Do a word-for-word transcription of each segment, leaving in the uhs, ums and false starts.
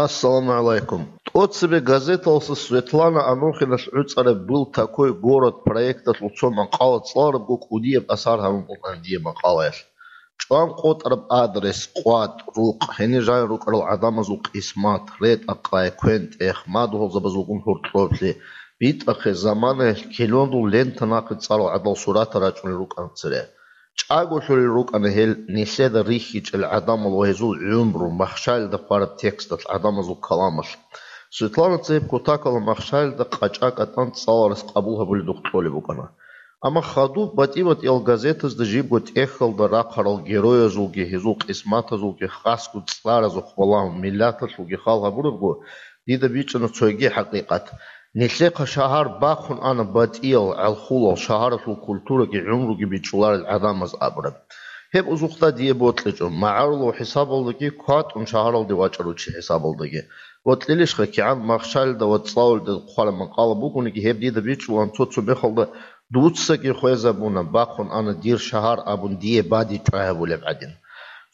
Ассаламу гӀалайкум. ТӀоцебе газеталъа Светлана Анохиналъ гӀуцӀараб «Был такой город» проекталъул цо макъала цӀаларабго кӀудияб асар гьабун букӀана дие макъалаялъ. ЧӀван къотӀараб адрес, къватӀ, рукъ, гьенир жанир рукӀарал гӀадамазул къисмат, ретӀа-къай, квен-тӀех, мадугьалзабазулгун гьоркьоблъи, битӀахъе, заманаялъ килондул лента нахъе цӀарал гӀадал суратал рачӀунел рукӀана цере. ЧӀаголъулел рукӀана гьел нилъеда рихьичӀел гӀадамал ва гьезул гӀумру махщалида хъвараб тексталъ, гӀадамазул каламалъ. Светлана цебе кутакалда махщалида къачӀа-кӀатӀан цӀаларас къабул гьабуледухъ кьолеб букӀана. Амма хадуб батӀи-батӀиял газетазда жибго тӀехьалда рахъарал героязулги гьезул къисматазулги хасго цӀаразухъ балагьун миллаталъулги хал гьабурабго, дида бичӀчӀана цоги хӀакъикъат. Нилъехъа шагьар бахъун ана батӀиял, гӀалхулал, шагьаралъул культураги гӀумруги бичӀчӀуларел гӀадамаз абураб. Гьеб узухъда дие бокьичӀо, магӀарулав хӀисабалдаги, кватӀун шагьаралде вачӀарав чи хӀисабалдаги. Бокьилищха, кигӀан махщалида ва цӀалулде хъвараб макъала бугониги, гьеб дида бичӀчӀулаан цо-цо мехалда дуцаги хвезабуна, бахъун ана дир шагьар абун дие бадиб чӀвай гьабулеб гӀадин.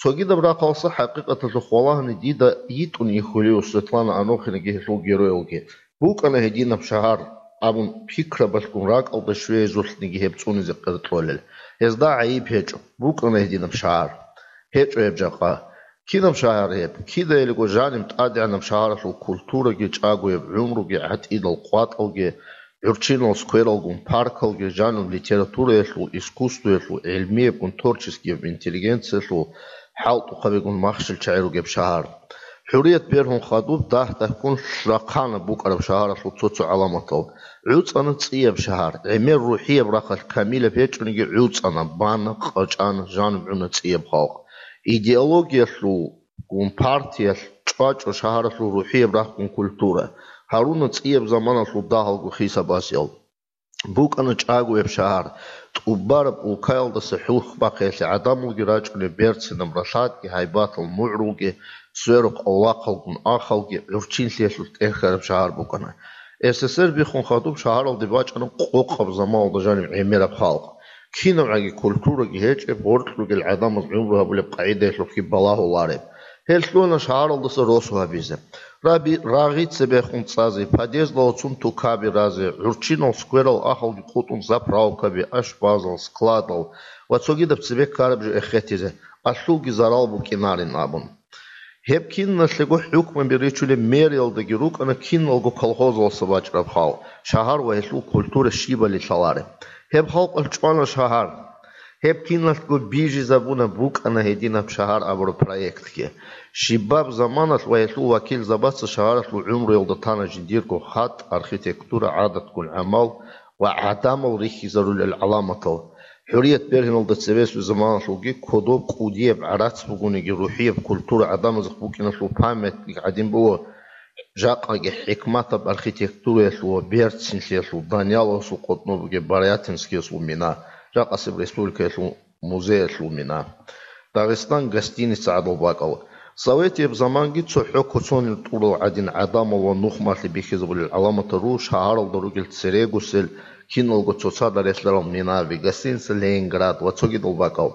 Цогидаб рахъалса хӀакъикъаталъухъ валагьани дида йитӀун ихьулев Светлана Анохинаги гьелъул героялги. БукӀана гьединаб шагьар абун пикрабалъгун ракӀалда щвезулъниги гьеб цӀунизе къеркьолел. Гьезда гӀайиб гьечӀо, букӀана гьединаб шагьар. ГьечӀо гьеб жакъа. Кинаб шагьар гьеб? Кидаялиго жаниб тӀадегӀанаб шагьаралъул культураги, чӀагояб гӀумруги, гӀатӀидал къватӀалги, гӀурччинал сквералгун паркалги, жаниб литератураялъул, искусствоялъул, гӀилмиябгун творческияб интеллигенциялъул, хӀалтӀухъабигун махщел чагӀи ругеб шагьар. ХӀурият бергьун хадуб дагь-дагьккун рахъана букӀараб шагьаралъул цо-цо гӀаламатал. ГӀуцӀана цӀияб шагьар, гӀемер рухӀияб рахъалъ камилаб гьечӀониги гӀуцӀана, бана, къачӀана, жаниб гӀуна цӀияб халкъ. Идеологиялъул гун партиялъ чӀвачӀо шагьаралъул рухӀияб рахъгун культура, гьаруна цӀияб заманалъул дагьалго хисаб-асиял. БукӀана чӀагояб шагьар, тӀубараб улкаялдаса хӀухьбахъиялъе гӀадамалги рачӀунеб берцинаб ралъадги гьайбатал мугӀрулги, сверухъ авлахъалгун ахалги, гӀурччинлъиялъулъ тӀерхьараб шагьар букӀана. С С С Р биххун хадуб шагьаралде бачӀана къокъаб заманалда жаниб гӀемераб халкъ. КинабгӀаги культураги гьечӀеб, гъоркь ругел гӀадамаз гӀумру гьабулеб къагӀидаялъухъги балагьулареб. Гьел лъугьана шагьаралдаса росу гьабизе. Раби-, рагъи цебехун цӀазе, подъездалъуцун тукаби разе, гӀурччинал скверал ахалги къутӀун заправкаби, ашпазал, складал ва цогидаб цебе ккараб жо эхетизе, алъулги зарал букӀинарин абун. Гьеб киналъего хӀукмаби ричулеб мэриялдаги рукӀана киналго колхозалъа бачӀараб хал, шагьар ва гьелъул культура щибали лъалареб. Гьеб халкъалъ чӀвана шагьар. Гьеб киналъго бижизабуна букӀана гьединаб шагьар абураб проектги. Щибаб заманалъ ва гьелъул вакилзабаца шагьаралъул гӀумруялда тана жиндирго хатӀ, архитектура, гӀадатгун гӀамал ва гӀадамал рихьизарулел гӀаламатал. ХӀурият бергьиналда цебесеб заманалъулги кодоб кӀудияб гӀарац бугониги, рухӀияб культура гӀадамазухъ букӀиналъул памятник гӀадин буго, жакъаги хӀикматаб архитектураялъул ва берцинлъиялъул Данияловасул къотӀноб бугеб Барятинскиясул мина, жакъасеб республикаялъул музеялъул мина. Дагъистан гостиница гӀадал бакӀал. Советияб заманги цохӀо куцонил тӀурал гӀадин гӀадамал ва нухмалъи бихьизабулел гӀаламатал ру шагьаралда ругел церегусел киналго цоцазда релълъарал минаби, гостиница Ленинград ва цогидал бакӀал.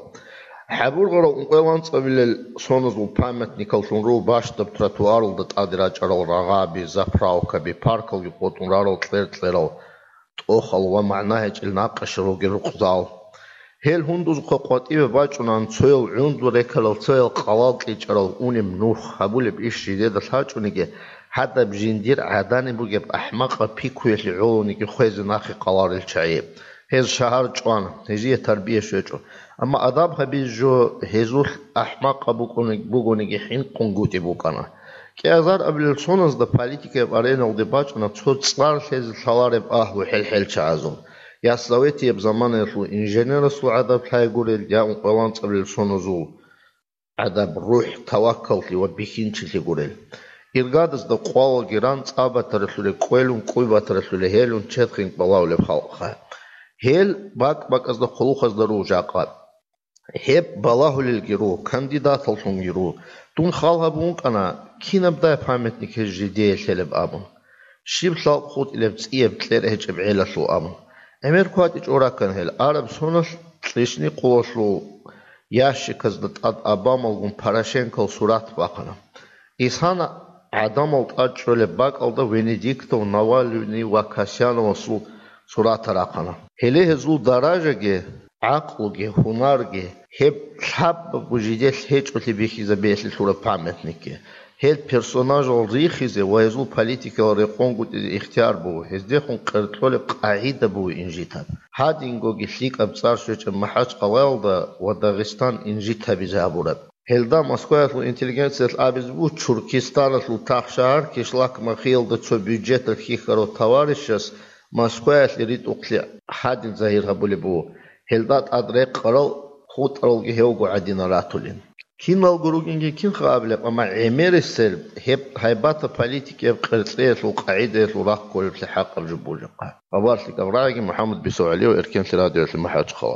ХӀабургъарал ункъоялда анцӀабилел соназул памятникаллъун ру бащдаб тротуаралда тӀаде рачӀарал рагъаби, заправкаби, паркалги къотӀун рарал кьер-кьерал тӀохал ва магӀна гьечӀел накъашал ругел рукъзал. Гьел гьундузухъа къватӀиве бачӀунан цоял гӀунду рекарал, цоял къалал кьичӀарал унеб нух, гьабулеб иш жидеда лъачӀониги, гьадаб жиндир гӀадани бугеб ахӀмакъаб пикруялъе гӀолониги хвезе нахъе къаларел чагӀи. Гьез шагьар чӀван, гьезие тарбия щвечӀо. Амма адаб гьабизе жо гьезулъ ахӀмакъаб букӀуни-, бугониги хӀинкъунгутӀи букӀана. КӀиазар абилел соназда политикаяб ареналде бачӀана цо цӀар лъезе лъалареб агьлу хӀел-хӀелчагӀазул, я советияб заманаялъул инженерасул гӀадаб лъай гурел, я ункъоялда анцӀабилел соназул гӀадаб рухӀ, таваккаллъи ва бихьинчилъи гурел. Иргадазда къвалаги ран цӀа батаралъуле кӀвелун, кӀуй батаралъуле гьелун чед хинкӀ балагьулеб халкъха. Гьел бакӀ-бакӀазда хъулухъазда руго жакъа. Гьеб балагьулелги руго, кандидаталлъунги руго. Дун хал гьабун вукӀана, кинабдай памятник гьез жидее лъелеб абун. Щиб лъалкӀ хутӀилеб цӀияб кьер гьечӀеб гӀелалъул абун. ГӀемер кватӀичӀого раккана гьел. Араб соналъ кьишни къулалъул ящиказда тӀад Обамалгун Порошенкол сурат бахъана. Исана гӀадамал тӀад чӀолеб бакӀалда Венедиктов, Навалиний ва Касьяновасул суратал рахъана. Гьеле гьезул даражаги, гӀакълуги, гьунарги, гьеб лъабабго жидер гьечӀолъи бихьизабиялъе лъураб памятникги. Гьел персонажал рихизе ва гьезул политикал рекъонгутӀизе ихтияр буго, гьездехун къеркьолеб къагӀида буго инжит гьаб. Гьадингоги лъикӀаб цӀар щвечӀеб МахӀачхъалаялда ва Дагъистан инжит гьабизе гьабураб. Гьелда Москваялъул интеллигенциялъ абизе буго, Чуркистаналъул тахшагьар Кишлак-Махиялда цо бюджеталъ хьихьарав товарищас Москваялъе ритӀухълъи гьадин загьир гьабулеб буго, гьелда тӀад рекъарал хутӀаралги гьевго гӀадинал ратулин. Киналго ругинги кинха абилеб, амма гӀемерисел гьеб гьайбатаб политикияб къерцӀеялъул къагӀидаялъул рахъ кколеблъи хӀакъаб жо бугебха. Хабарлъи кӀабрагӀиги, МухӀаммад БицогӀалиев, Эркенлъи радиоялъе МахӀачхъала.